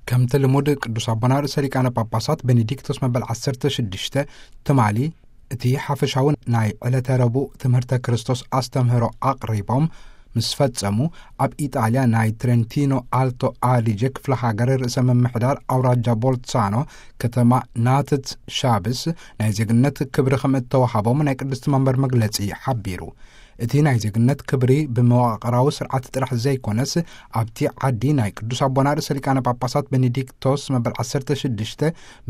ከምቲ ልሙድ ቅዱስ ኣቦና ርእሰ ሊቃነ ጳጳሳት ቤኔዲክቶስ መበል ዓሰርተ ሽዱሽተ ትማሊ እቲ ሓፈሻዊ ናይ ዕለተ ረቡዕ ትምህርተ ክርስቶስ ኣስተምህሮ ኣቕሪቦም ምስ ፈጸሙ፣ ኣብ ኢጣልያ ናይ ትሬንቲኖ ኣልቶ ኣዲጀ ክፍለ ሃገር ርእሰ ምምሕዳር ኣውራጃ ቦልትሳኖ ከተማ ናትት ሻብስ ናይ ዜግነት ክብሪ ከም እተዋሃቦም ናይ ቅድስቲ መንበር መግለጺ ሓቢሩ። እቲ ናይ ዜግነት ክብሪ ብመዋቕራዊ ስርዓት ጥራሕ ዘይኮነስ፣ ኣብቲ ዓዲ ናይ ቅዱስ ኣቦና ርእሰ ሊቃነ ጳጳሳት ቤኔዲክቶስ መበል ዓሰርተ ሽዱሽተ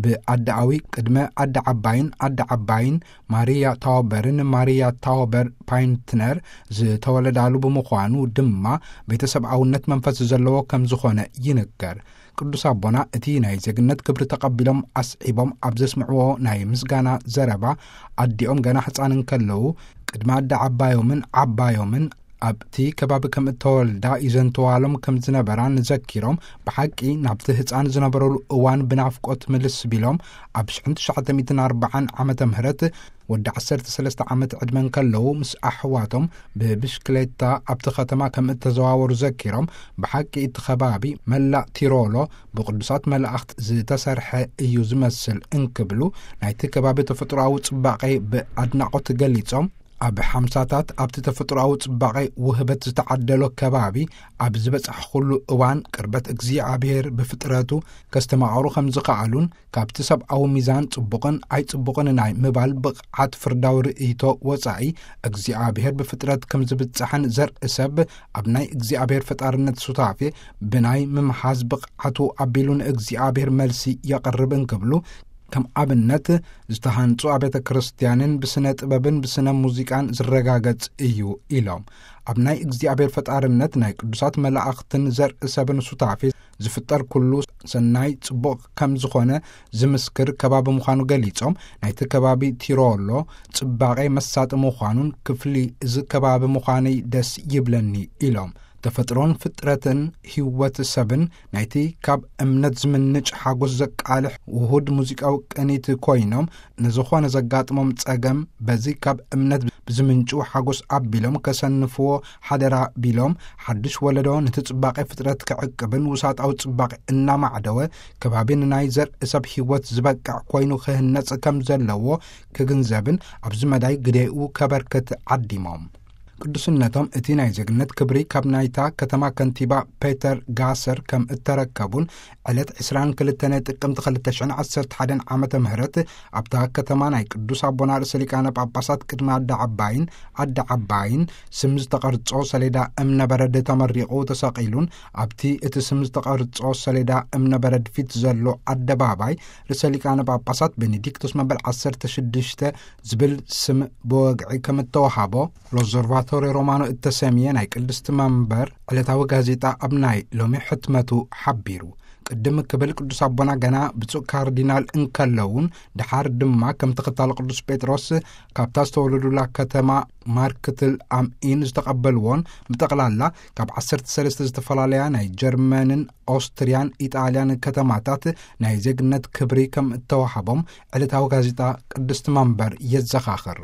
ብኣደኣዊ ቅድመ ኣደ ዓባይን ኣደ ዓባይን ማሪያ ታውበርን ማሪያ ታውበር ፓይንትነር ዝተወለዳሉ ብምዃኑ ድማ ቤተሰብኣውነት መንፈስ ዘለዎ ከም ዝኾነ ይንገር። ቅዱስ ኣቦና እቲ ናይ ዜግነት ክብሪ ተቐቢሎም ኣስዒቦም ኣብ ዘስምዕዎ ናይ ምስጋና ዘረባ፣ ኣዲኦም ገና ሕፃን እንከለዉ ቅድሚ ኣደ ዓባዮምን ዓባዮምን ኣብቲ ከባቢ ከም እተወልዳ ይዘንትዋሎም ከም ዝነበራን ዘኪሮም፣ ብሓቂ ናብቲ ህፃን ዝነበረሉ እዋን ብናፍቆት ምልስ ቢሎም፣ ኣብ ሽሕን ትሽዓተ ሚእትን ኣርባዓን ዓመተ ምህረት ወዲ ዓሰርተ ሰለስተ ዓመት ዕድመ እንከለዉ ምስ ኣሕዋቶም ብብሽክሌታ ኣብቲ ከተማ ከም እተዘዋወሩ ዘኪሮም፣ ብሓቂ እቲ ከባቢ መላእ ቲሮሎ ብቅዱሳት መላእኽት ዝተሰርሐ እዩ ዝመስል እንክብሉ፣ ናይቲ ከባቢ ተፈጥሮኣዊ ጽባቐ ብኣድናቖት ገሊጾም፣ ኣብ ሓምሳታት ኣብቲ ተፈጥሮኣዊ ጽባቐ ውህበት ዝተዓደሎ ከባቢ ኣብ ዝበጻሕኩሉ እዋን፣ ቅርበት እግዚኣብሔር ብፍጥረቱ ከስተማቕሩ ከም ዝኸኣሉን፣ ካብቲ ሰብኣዊ ሚዛን ጽቡቕን ኣይጽቡቕን ናይ ምባል ብቕዓት ፍርዳዊ ርእይቶ ወጻኢ፣ እግዚኣብሔር ብፍጥረት ከም ዝብጻሕን ዘርኢ ሰብ ኣብ ናይ እግዚኣብሔር ፈጣርነት ሱታፌ ብናይ ምምሓዝ ብቕዓቱ ኣቢሉ ንእግዚኣብሔር መልሲ የቕርብ እንክብሉ፣ ከም ኣብነት ዝተሃንጹ ኣብያተ ክርስቲያንን ብስነ ጥበብን ብስነ ሙዚቃን ዝረጋገጽ እዩ ኢሎም። ኣብ ናይ እግዚኣብሔር ፈጣርነት ናይ ቅዱሳት መላእኽትን ዘርኢ ሰብን ሱታፌ ዝፍጠር ኩሉ ሰናይ ጽቡቕ ከም ዝኾነ ዝምስክር ከባቢ ምዃኑ ገሊጾም፣ ናይቲ ከባቢ ቲሮሎ ጽባቐ መሳጢ ምዃኑን ክፍሊ እዚ ከባቢ ምዃነይ ደስ ይብለኒ ኢሎም። ተፈጥሮን ፍጥረትን ህይወት ሰብን ናይቲ ካብ እምነት ዝምንጭ ሓጎስ ዘቃልሕ ውሁድ ሙዚቃዊ ቅኒት ኮይኖም፣ ንዝኾነ ዘጋጥሞም ጸገም በዚ ካብ እምነት ብዝምንጩ ሓጎስ ኣቢሎም ከሰንፍዎ ሓደራ ቢሎም፣ ሓድሽ ወለዶ ነቲ ጽባቐ ፍጥረት ክዕቅብን ውሳጣዊ ጽባቐ እናማዕደወ ከባቢ ንናይ ዘርኢ ሰብ ህይወት ዝበቅዕ ኮይኑ ክህነጽ ከም ዘለዎ ክግንዘብን ኣብዚ መዳይ ግዴኡ ከበርክት ዓዲሞም። ቅዱስነቶም እቲ ናይ ዜግነት ክብሪ ካብ ናይታ ከተማ ከንቲባ ፔተር ጋሰር ከም እተረከቡን፣ ዕለት ዕስራን ክልተን ጥቅምቲ ክልተ ሽሕን ዓሰርተ ሓደን ዓመተ ምህረት ኣብታ ከተማ ናይ ቅዱስ ኣቦና ርእሰ ሊቃነ ጳጳሳት ቅድሚ ኣደ ዓባይን ኣደ ዓባይን ስም ዝተቐርጾ ሰሌዳ እምነ በረድ ተመሪቑ ተሰቒሉን፣ ኣብቲ እቲ ስም ዝተቐርጾ ሰሌዳ እምነ በረድ ፊት ዘሎ ኣደባባይ ርእሰ ሊቃነ ጳጳሳት ቤኔዲክቶስ መበል ዓሰርተ ሽዱሽተ ዝብል ስም ብወግዒ ከም እተዋሃቦ፣ ሎዘርቫቶሪ ሮማኖ እተሰምየ ናይ ቅድስቲ መንበር ዕለታዊ ጋዜጣ ኣብ ናይ ሎሚ ሕትመቱ ሓቢሩ። ቅድም ክብል ቅዱስ ኣቦና ገና ብፁዕ ካርዲናል እንከለውን፣ ደሓር ድማ ከም ተኸታሊ ቅዱስ ጴጥሮስ ካብታ ዝተወለዱላ ከተማ ማርክትል ኣምኢን ዝተቐበልዎን፣ ብጠቕላላ ካብ ዓሰርተ ሰለስተ ዝተፈላለያ ናይ ጀርመንን ኦስትርያን ኢጣልያን ከተማታት ናይ ዜግነት ክብሪ ከም እተዋሃቦም ዕለታዊ ጋዜጣ ቅድስቲ መንበር የዘኻኽር።